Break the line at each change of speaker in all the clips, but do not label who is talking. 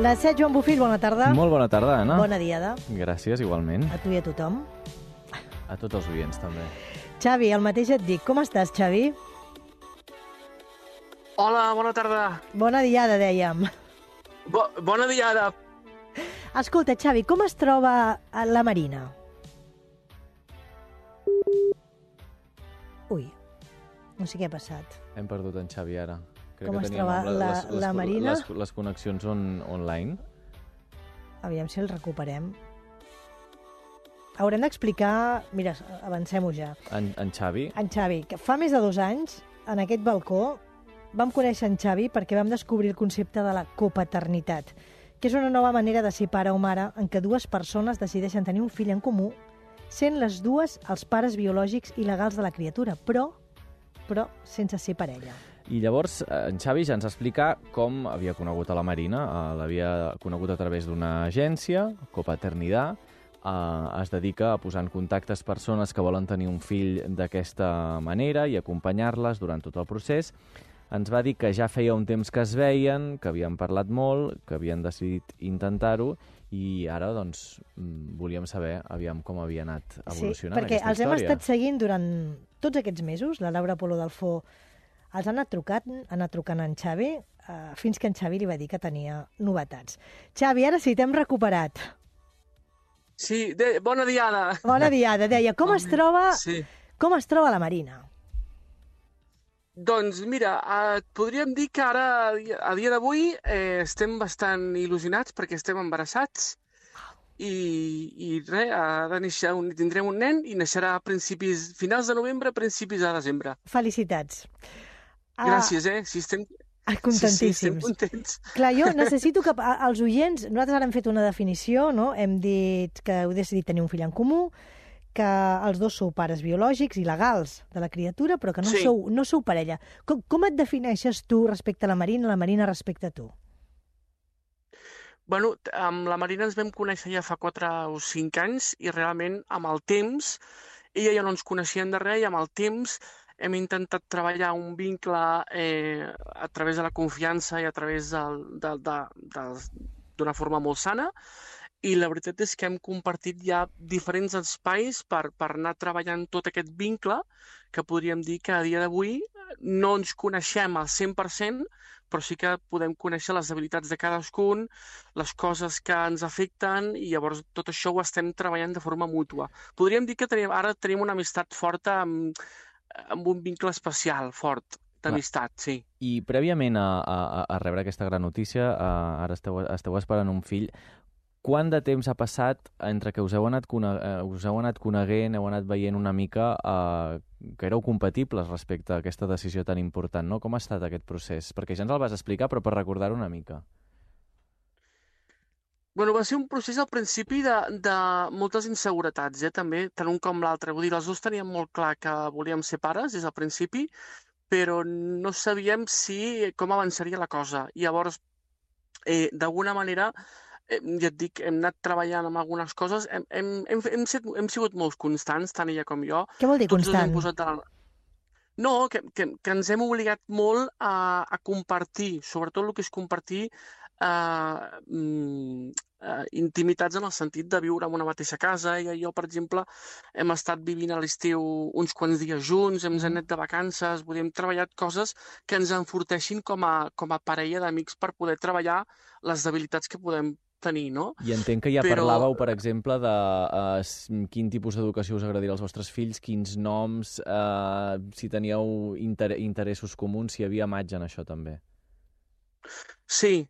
La Set, Joan Bofill, bona tarda.
Molt bona tarda, Anna.
Bona diada.
Gràcies, igualment.
A tu i a tothom.
A tots els oients, també.
Xavi, el mateix et dic. Com estàs, Xavi?
Hola, bona tarda.
Bona diada, dèiem.
Bona diada.
Escolta, Xavi, com es troba la Marina? Ui, no sé què ha passat.
Hem perdut en Xavi ara. Crec
Com
que
es
teníem
troba la Marina?
Les connexions online.
Aviam si el recuperem. Haurem d'explicar... Mira, avancem-ho ja.
En Xavi?
En Xavi, que fa més de 2 anys, en aquest balcó, vam conèixer en Xavi perquè vam descobrir el concepte de la copaternitat, que és una nova manera de ser pare o mare en què dues persones decideixen tenir un fill en comú, sent les dues els pares biològics i legals de la criatura, però sense ser parella.
I llavors en Xavi ja ens explica com havia conegut a la Marina. L'havia conegut a través d'una agència, Copaternidad. Es dedica a posar en contactes persones que volen tenir un fill d'aquesta manera i acompanyar-les durant tot el procés. Ens va dir que ja feia un temps que es veien, que havien parlat molt, que havien decidit intentar-ho, i ara, doncs, volíem saber aviam com havia anat evolucionant aquesta història.
Sí, perquè els hem estat seguint durant tots aquests mesos. La Laura Polo Dalfó els ha anat trucant en Xavi, fins que en Xavi li va dir que tenia novetats. Xavi, ara sí, t'hem recuperat.
Sí, bona diada.
Bona diada, deia. Com es troba la Marina?
Doncs mira, podríem dir que ara, a dia d'avui, estem bastant il·lusionats perquè estem embarassats i res, tindrem un nen i naixerà a finals de novembre, principis de desembre.
Felicitats.
Gràcies, sí, estem...
Contentíssims.
Sí, estem contents.
Clar, jo necessito que els oients... Nosaltres ara hem fet una definició, no? Hem dit que heu decidit tenir un fill en comú, que els dos sou pares biològics i legals de la criatura, però que no sou parella. Com et defineixes tu respecte a la Marina respecte a tu?
Bueno, amb la Marina ens vam conèixer ja fa 4 o 5 anys i realment amb el temps, ella ja no ens coneixien de res i amb el temps hem intentat treballar un vincle a través de la confiança i a través d'una forma molt sana, i la veritat és que hem compartit ja diferents espais per anar treballant tot aquest vincle, que podríem dir que a dia d'avui no ens coneixem al 100%, però sí que podem conèixer les habilitats de cadascun, les coses que ens afecten, i llavors tot això ho estem treballant de forma mútua. Podríem dir que ara tenim una amistat forta amb un vincle especial, fort, d'amistat, sí.
I prèviament a rebre aquesta gran notícia, ara esteu esperant un fill. Quant de temps ha passat entre que us heu anat coneguent, heu anat veient una mica que éreu compatibles respecte a aquesta decisió tan important, no? Com ha estat aquest procés? Perquè ja ens el vas explicar, però per recordar-ho una mica.
Bueno, va ser un procés al principi de moltes inseguretats, també, tant un com l'altre. Vull dir, els dos teníem molt clar que volíem ser pares des del principi, però no sabíem com avançaria la cosa. I llavors, d'alguna manera, ja et dic, hem anat treballant amb algunes coses, hem sigut molt constants, tant ella com jo.
Què vol dir constant?
No, que ens hem obligat molt a compartir, sobretot el que és compartir intimitats en el sentit de viure en una mateixa casa. Ella i jo, per exemple, hem estat vivint a l'estiu uns quants dies junts, hem anat de vacances, hem treballat coses que ens enforteixin com a parella d'amics per poder treballar les debilitats que podem tenir, no?
I entenc que ja parlàveu, per exemple, de quin tipus d'educació us agradaria als vostres fills, quins noms, si teníeu interessos comuns, si hi havia matx en això també.
Sí.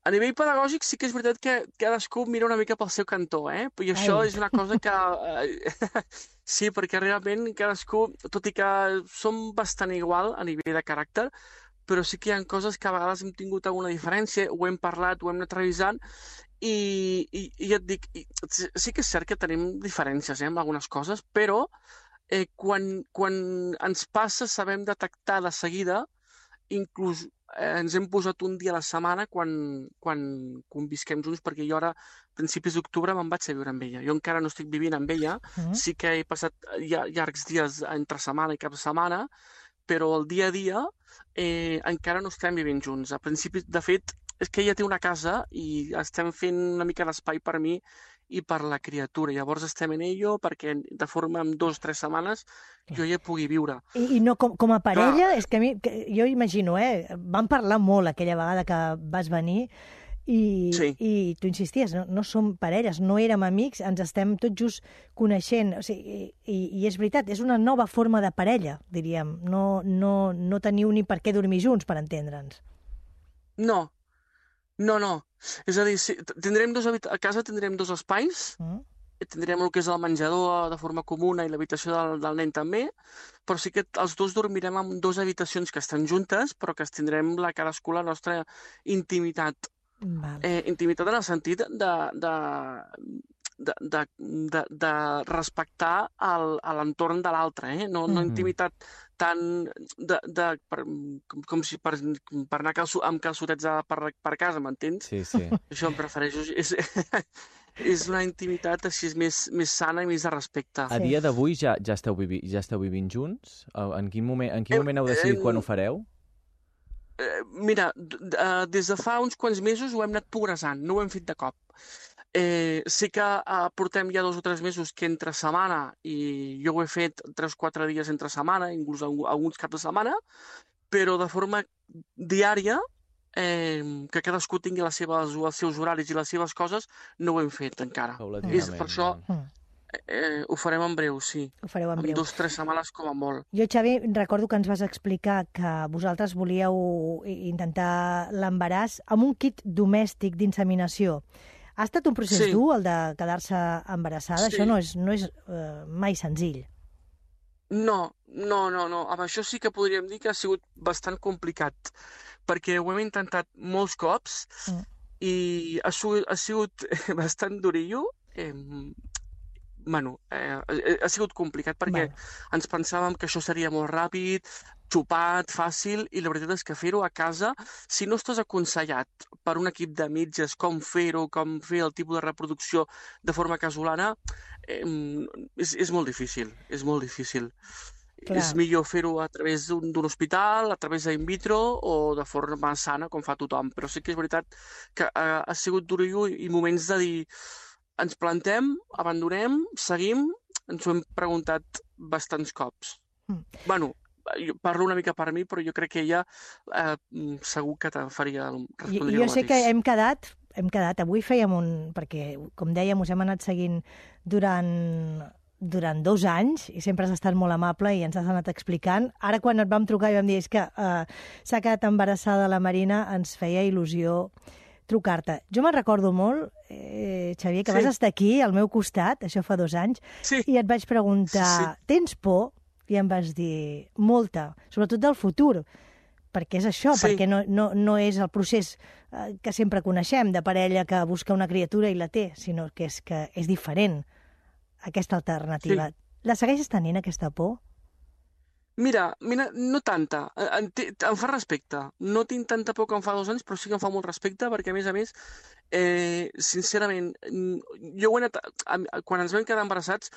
A nivell pedagògic sí que és veritat que cadascú mira una mica pel seu cantó, i això és una cosa que... Sí, perquè realment cadascú, tot i que som bastant igual a nivell de caràcter, però sí que hi ha coses que a vegades hem tingut alguna diferència, ho hem parlat, ho hem anat revisant, i ja et dic, sí que és cert que tenim diferències en algunes coses, però quan ens passa sabem detectar de seguida, inclús ens hem posat un dia a la setmana quan convisquem junts, perquè jo ara, a principis d'octubre, me'n vaig a viure amb ella. Jo encara no estic vivint amb ella, sí que he passat llargs dies entre setmana i cap setmana, però el dia a dia encara no estem vivint junts. A principis, de fet, és que ella té una casa i estem fent una mica d'espai per mi i per la criatura. Llavors estem en ello perquè de forma en 2 o 3 setmanes jo ja pugui viure.
I no, com a parella, és que jo imagino, vam parlar molt aquella vegada que vas venir i tu insisties, no som parelles, no érem amics, ens estem tot just coneixent. O sigui, i és veritat, és una nova forma de parella, diríem. No teniu ni per què dormir junts, per entendre'ns.
No. És a dir, a casa tindrem 2 espais, tindrem el que és el menjador de forma comuna i l'habitació del nen també, però sí que els dos dormirem en 2 habitacions que estan juntes, però que tindrem cadascú la nostra intimitat. Intimitat en el sentit de respectar l'entorn de l'altre, no intimitat tant com si per anar amb calçotets per casa, m'entens?
Sí.
Això em refereixo. És una intimitat així més sana i més de respecte.
A dia d'avui ja esteu vivint junts? En quin moment heu decidit quan ho fareu?
Mira, des de fa uns quants mesos ho hem anat progressant, no ho hem fet de cop. Sí que portem ja 2 o 3 mesos que entre setmana, i jo ho he fet 3 o 4 dies entre setmana, inclús alguns caps de setmana, però de forma diària, que cadascú tingui els seus horaris i les seves coses, no ho hem fet encara. És per això... Ho farem en breu, sí.
Ho fareu en breu.
En 2 o 3 setmanes com a molt.
Jo, Xavi, recordo que ens vas explicar que vosaltres volíeu intentar l'embaràs amb un kit domèstic d'inseminació. Ha estat un procés dur, el de quedar-se embarassada?
Sí.
Això no és mai senzill.
No. Amb això sí que podríem dir que ha sigut bastant complicat, perquè ho hem intentat molts cops i ha sigut bastant durillo. Ha sigut complicat perquè ens pensàvem que això seria molt ràpid, xupat, fàcil, i la veritat és que fer-ho a casa, si no estàs aconsellat per un equip de metges com fer-ho, com fer el tipus de reproducció de forma casolana, és molt difícil, és molt difícil. Clar. És millor fer-ho a través d'un hospital, a través d'in vitro o de forma sana, com fa tothom. Però sí que és veritat que ha sigut durillo i moments de dir ens plantem, abandonem, seguim, ens ho hem preguntat bastants cops. Bueno, jo parlo una mica per mi, però jo crec que ella segur que respondria el mateix.
Jo sé que hem quedat, avui fèiem perquè, com dèiem, us hem anat seguint durant 2 anys i sempre has estat molt amable i ens has anat explicant. Ara, quan et vam trucar i vam dir que s'ha quedat embarassada la Marina, ens feia il·lusió trucar-te. Jo me'n recordo molt, Xavier, que vas estar aquí, al meu costat, això fa 2 anys, i et vaig preguntar, tens por? I em vas dir, molta, sobretot del futur, perquè és això, perquè no és el procés que sempre coneixem, de parella que busca una criatura i la té, sinó que és diferent, aquesta alternativa. La segueixes tenint, aquesta por?
Mira, no tanta. Em fa respecte. No tinc tanta por que em fa 2 anys, però sí que em fa molt respecte, perquè, a més, sincerament, jo ho he anat... Quan ens vam quedar embarassats,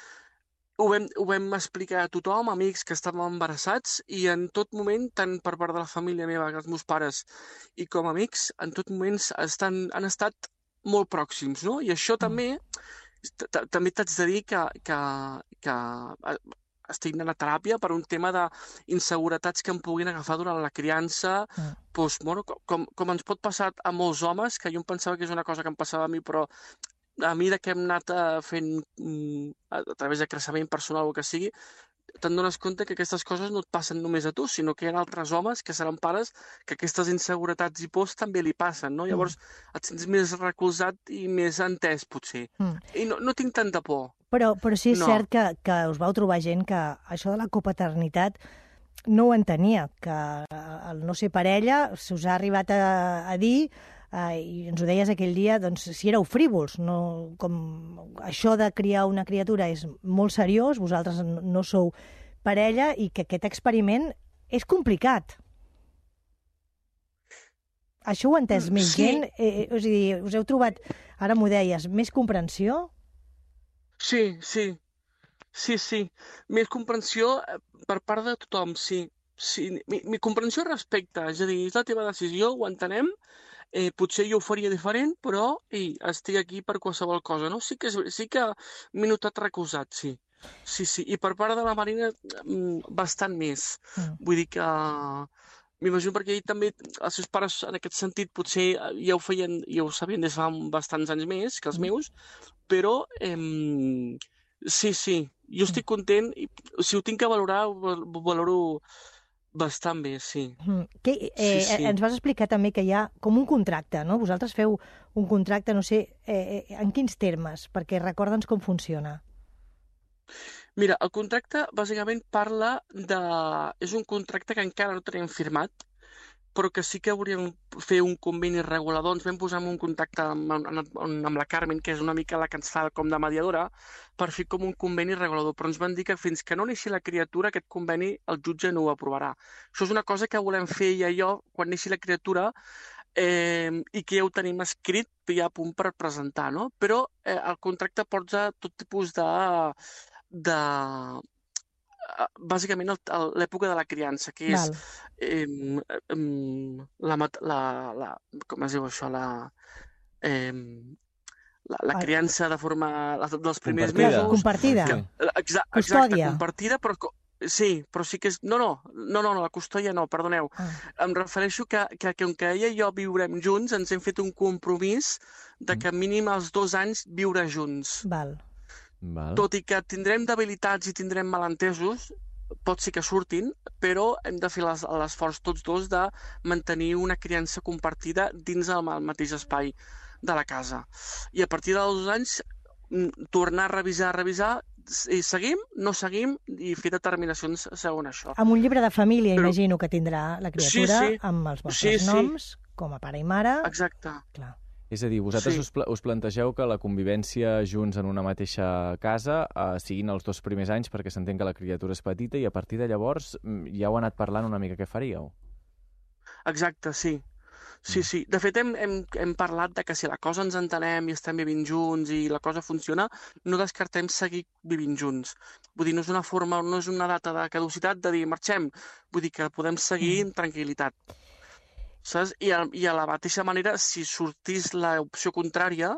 ho vam explicar a tothom, amics que estàvem embarassats, i en tot moment, tant per part de la família meva, els meus pares, i com a amics, en tot moment han estat molt pròxims, no? I això també t'haig de dir que estic anant a teràpia per un tema d'inseguretats que em puguin agafar durant la criança, com ens pot passar a molts homes, que jo em pensava que és una cosa que em passava a mi, però a mesura que hem anat fent a través de creixement personal o que sigui, te'n dones compte que aquestes coses no et passen només a tu, sinó que hi ha altres homes que seran pares que aquestes inseguretats i pors també li passen, no? Llavors et sents més recolzat i més entès, potser. I no tinc tanta por.
Però sí és cert que us vau trobar gent que això de la copaternitat no ho entenia, que el no ser parella se us ha arribat a dir, i ens ho deies aquell dia, doncs si éreu frívols, com això de criar una criatura és molt seriós, vosaltres no sou parella i que aquest experiment és complicat. Això ho ha entès més gent? És a dir, us heu trobat, ara m'ho deies, més comprensió?
Sí. Més comprensió per part de tothom, sí. Mi comprensió i respecte, és a dir, és la teva decisió, ho entenem, potser jo ho faria diferent, però estic aquí per qualsevol cosa, no? Sí que m'he notat recolzat, sí. Sí, sí. I per part de la Marina, bastant més. Vull dir que m'imagino perquè ell també, els seus pares, en aquest sentit, potser ja ho feien, ja ho sabien des de fa bastants anys més que els meus, però sí, sí, jo estic content, i si ho tinc que valorar, ho valoro bastant bé, sí.
Ens vas explicar també que hi ha com un contracte, no? Vosaltres feu un contracte, no sé, en quins termes? Perquè recorda'ns com funciona.
Mira, el contracte bàsicament parla de... És un contracte que encara no tenim firmat, però que sí que hauríem fer un conveni regulador. Ens vam posar en un contacte amb la Carmen, que és una mica la que ens fa com de mediadora, per fer com un conveni regulador. Però ens van dir que fins que no neixi la criatura, aquest conveni el jutge no ho aprovarà. Això és una cosa que volem fer ella i jo quan neixi la criatura, i que ja ho tenim escrit ja a punt per presentar, no? Però el contracte porta tot tipus bàsicament l'època de la criança, que és com es diu això, la criança de forma dels primers mesos.
Compartida.
Exacte, compartida, però sí, però sí que és... No, la custòdia no, perdoneu. Em refereixo que com que ella i jo viurem junts, ens hem fet un compromís de que mínim als 2 anys viure junts.
Val.
Tot i que tindrem debilitats i tindrem malentesos, pot ser que surtin, però hem de fer l'esforç tots dos de mantenir una criança compartida dins el mateix espai de la casa. I a partir dels 2 anys, tornar a revisar, i seguim, no seguim, i fer determinacions segons això.
Amb un llibre de família, imagino que tindrà la criatura, amb els vostres noms, com a pare i mare.
Exacte.
Clar.
És a dir, vosaltres us plantegeu que la convivència junts en una mateixa casa siguin els 2 primers anys perquè s'entén que la criatura és petita i a partir de llavors ja heu anat parlant una mica què faríeu.
Exacte, sí. Sí. De fet, hem parlat de que si la cosa ens entenem i estem vivint junts i la cosa funciona, no descartem seguir vivint junts. Vull dir, no és una forma, no és una data de caducitat de dir marxem. Vull dir que podem seguir amb tranquil·litat. Saps? I a la mateixa manera, si sortís l'opció contrària,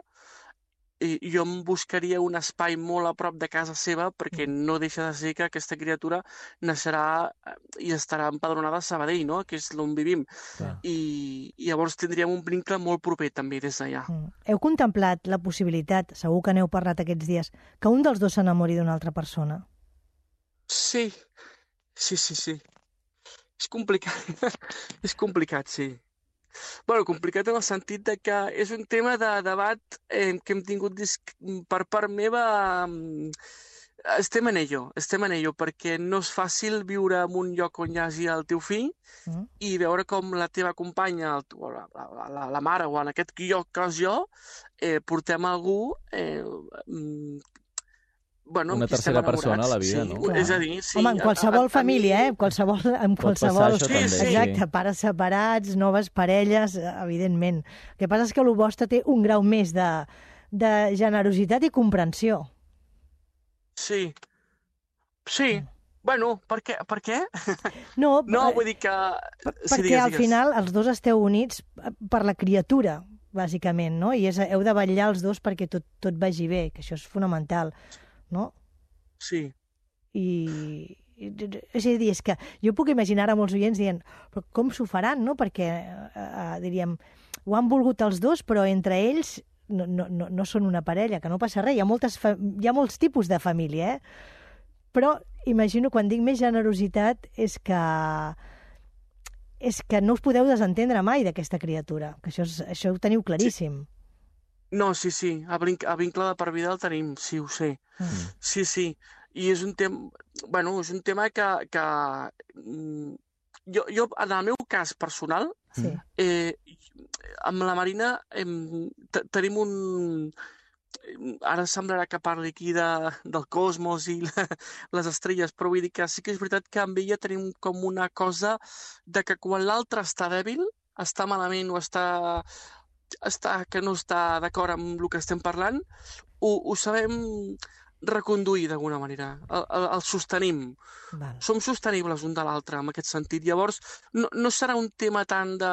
jo em buscaria un espai molt a prop de casa seva perquè no deixa de ser que aquesta criatura naixerà i estarà empadronada a Sabadell, no? Que és on vivim. I llavors tindríem un vincle molt proper també des d'allà.
Heu contemplat la possibilitat, segur que n'heu parlat aquests dies, que un dels dos s'enamori d'una altra persona?
Sí. És complicat. És complicat, sí. Bueno, complicat en el sentit de que és un tema de debat que hem tingut per part meva. Estem en ello, perquè no és fàcil viure en un lloc on hi hagi el teu fill i veure com la teva companya, la mare, o en aquest cas jo, portem algú...
una tercera persona a la vida,
sí,
no?
És a dir, sí.
Home, en qualsevol família, en qualsevol...
Sí.
Exacte, pares separats, noves parelles, evidentment. El que passa és que el vostre té un grau més de generositat i comprensió.
Sí. Bueno, per què?
No,
vull dir que...
Perquè al final els dos esteu units per la criatura, bàsicament, no? I heu de vetllar els dos perquè tot vagi bé, que això és fonamental, no?
Sí.
És a dir, és que jo puc imaginar a molts oients dient però com s'ho faran, no? Perquè, diríem, ho han volgut els dos, però entre ells no són una parella, que no passa res. Hi ha molts tipus de família, Però imagino, quan dic més generositat, és que no us podeu desentendre mai d'aquesta criatura, que això ho teniu claríssim.
No, sí. A vincle de per vida el tenim, sí, ho sé. Sí. I és un tema... és un tema que jo, en el meu cas personal, amb la Marina tenim un... Ara semblarà que parli aquí del cosmos i les estrelles, però vull dir que sí que és veritat que amb ella tenim com una cosa de que quan l'altre està dèbil, està malament o que no està d'acord amb el que estem parlant, ho sabem reconduir d'alguna manera, el sostenim.
Val.
Som sostenibles un de l'altre en aquest sentit. Llavors, no serà un tema tant de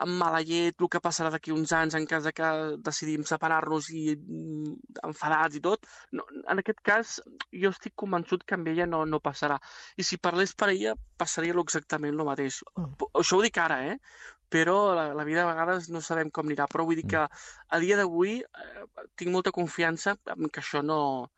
amb mala llet, el que passarà d'aquí uns anys en cas de que decidim separar-nos i enfadats i tot. No, en aquest cas, jo estic convençut que amb ella no passarà. I si parlés per ella, passaria exactament el mateix. Això ho dic ara, però la vida a vegades no sabem com anirà. Però vull dir que a dia d'avui tinc molta confiança en que això no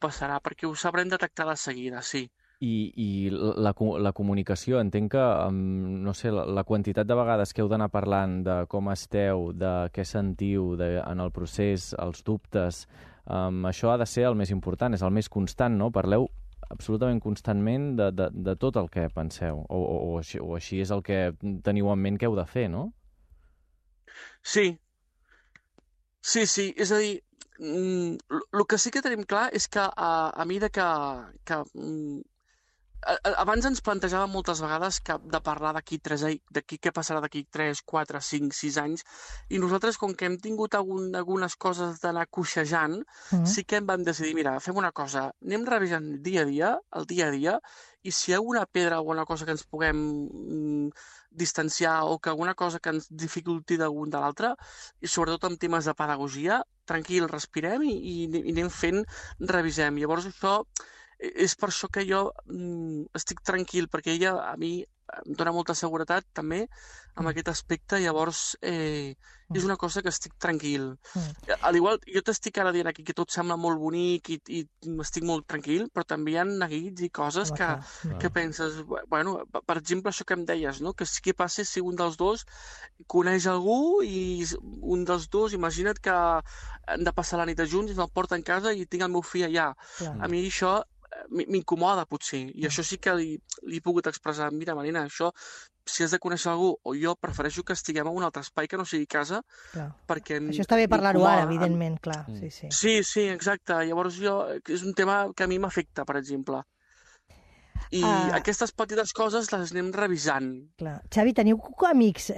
passarà, perquè ho sabrem detectar de seguida, sí.
I la comunicació, entenc que, no sé, la quantitat de vegades que heu d'anar parlant de com esteu, de què sentiu en el procés, els dubtes, això ha de ser el més important, és el més constant, no? Parleu absolutament constantment de tot el que penseu, o així és el que teniu en ment que heu de fer, no?
Sí, és a dir, el que sí que tenim clar és que a mesura que abans ens plantejàvem moltes vegades de parlar d'aquí què passarà d'aquí 3, 4, 5, 6 anys, i nosaltres, com que hem tingut algunes coses d'anar coixejant, sí que em vam decidir, mira, fem una cosa, anem revisant el dia a dia, i si hi ha alguna pedra o alguna cosa que ens puguem distanciar o que alguna cosa que ens dificulti d'algun de l'altre, i sobretot en temes de pedagogia, tranquil, respirem i anem fent, revisem. Llavors això és per això que jo estic tranquil, perquè ella a mi em dona molta seguretat també en aquest aspecte, llavors és una cosa que estic tranquil. Al igual, jo t'estic ara dient aquí que tot sembla molt bonic i estic molt tranquil, però també hi ha neguits i coses que penses, bueno, per exemple, això que em deies, no? Que què passa si un dels dos coneix algú i un dels dos, imagina't que han de passar la nit junts i me'l porten a casa i tinc el meu fill allà. A mi això m'incomoda, potser, i això sí que li he pogut expressar. Mira, Marina, això, si has de conèixer algú, o jo prefereixo que estiguem en un altre espai que no sigui casa, perquè
això està bé parlar-ho ara, evidentment, clar.
Sí, exacte. Llavors és un tema que a mi m'afecta, per exemple. I aquestes petites coses les anem revisant.
Clar. Xavi, teniu amics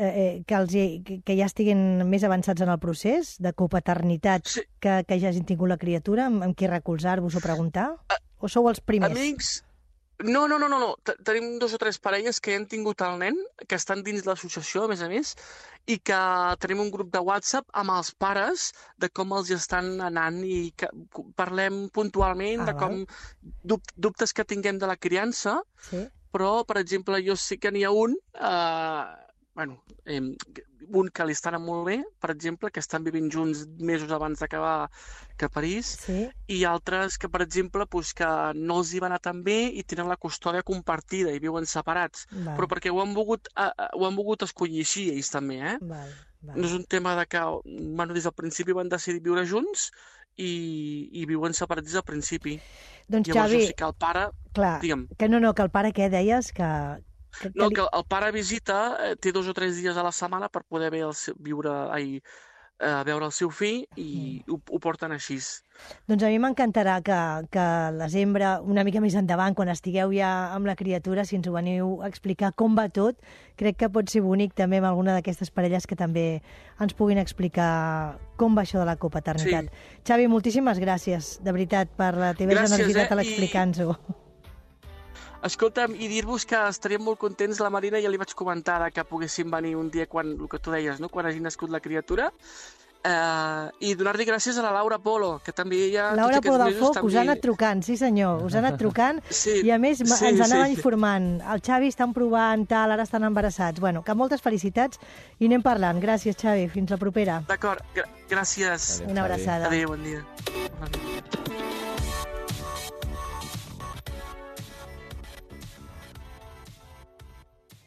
que ja estiguin més avançats en el procés de copaternitat, que ja hagin tingut la criatura, amb qui recolzar-vos o preguntar? O sou els primers?
Amics? No. Tenim 2 o 3 parelles que ja han tingut el nen, que estan dins l'associació, a més, i que tenim un grup de WhatsApp amb els pares de com els estan anant i que parlem puntualment de com dubtes que tinguem de la criança, però, per exemple, jo sé que n'hi ha un que li està anant molt bé, per exemple, que estan vivint junts mesos abans d'acabar que a París, i altres que, per exemple, que no els hi va anar tan bé i tenen la custòdia compartida i viuen separats, però perquè ho han volgut escollir així, ells també, No és un tema de que, des del principi van decidir viure junts i viuen separats des del principi.
Doncs,
llavors,
Xavi,
sí que el pare...
clar, que el pare, què deies? Que
el pare visita, té 2 o 3 dies a la setmana per poder veure el seu fill i ho porten així.
Doncs a mi m'encantarà que la sembra, una mica més endavant, quan estigueu ja amb la criatura, si ens ho veniu a explicar com va tot, crec que pot ser bonic també amb alguna d'aquestes parelles que també ens puguin explicar com va això de la copaternitat. Xavi, moltíssimes gràcies, de veritat, per la teva generositat a l'explicar-nos-ho.
Escolta'm, i dir-vos que estaríem molt contents, la Marina ja li vaig comentar que poguéssim venir un dia quan, el que tu deies, no? Quan hagi nascut la criatura, i donar-li gràcies a la Laura Polo, que també ella...
Laura Polo del Foc, us ha anat trucant, sí senyor, us ha anat trucant, i a més ens anava informant. El Xavi estan provant, ara estan embarassats. Bueno, que moltes felicitats i anem parlant. Gràcies, Xavi, fins la propera.
D'acord, gràcies.
Una abraçada.
Adéu, bon dia.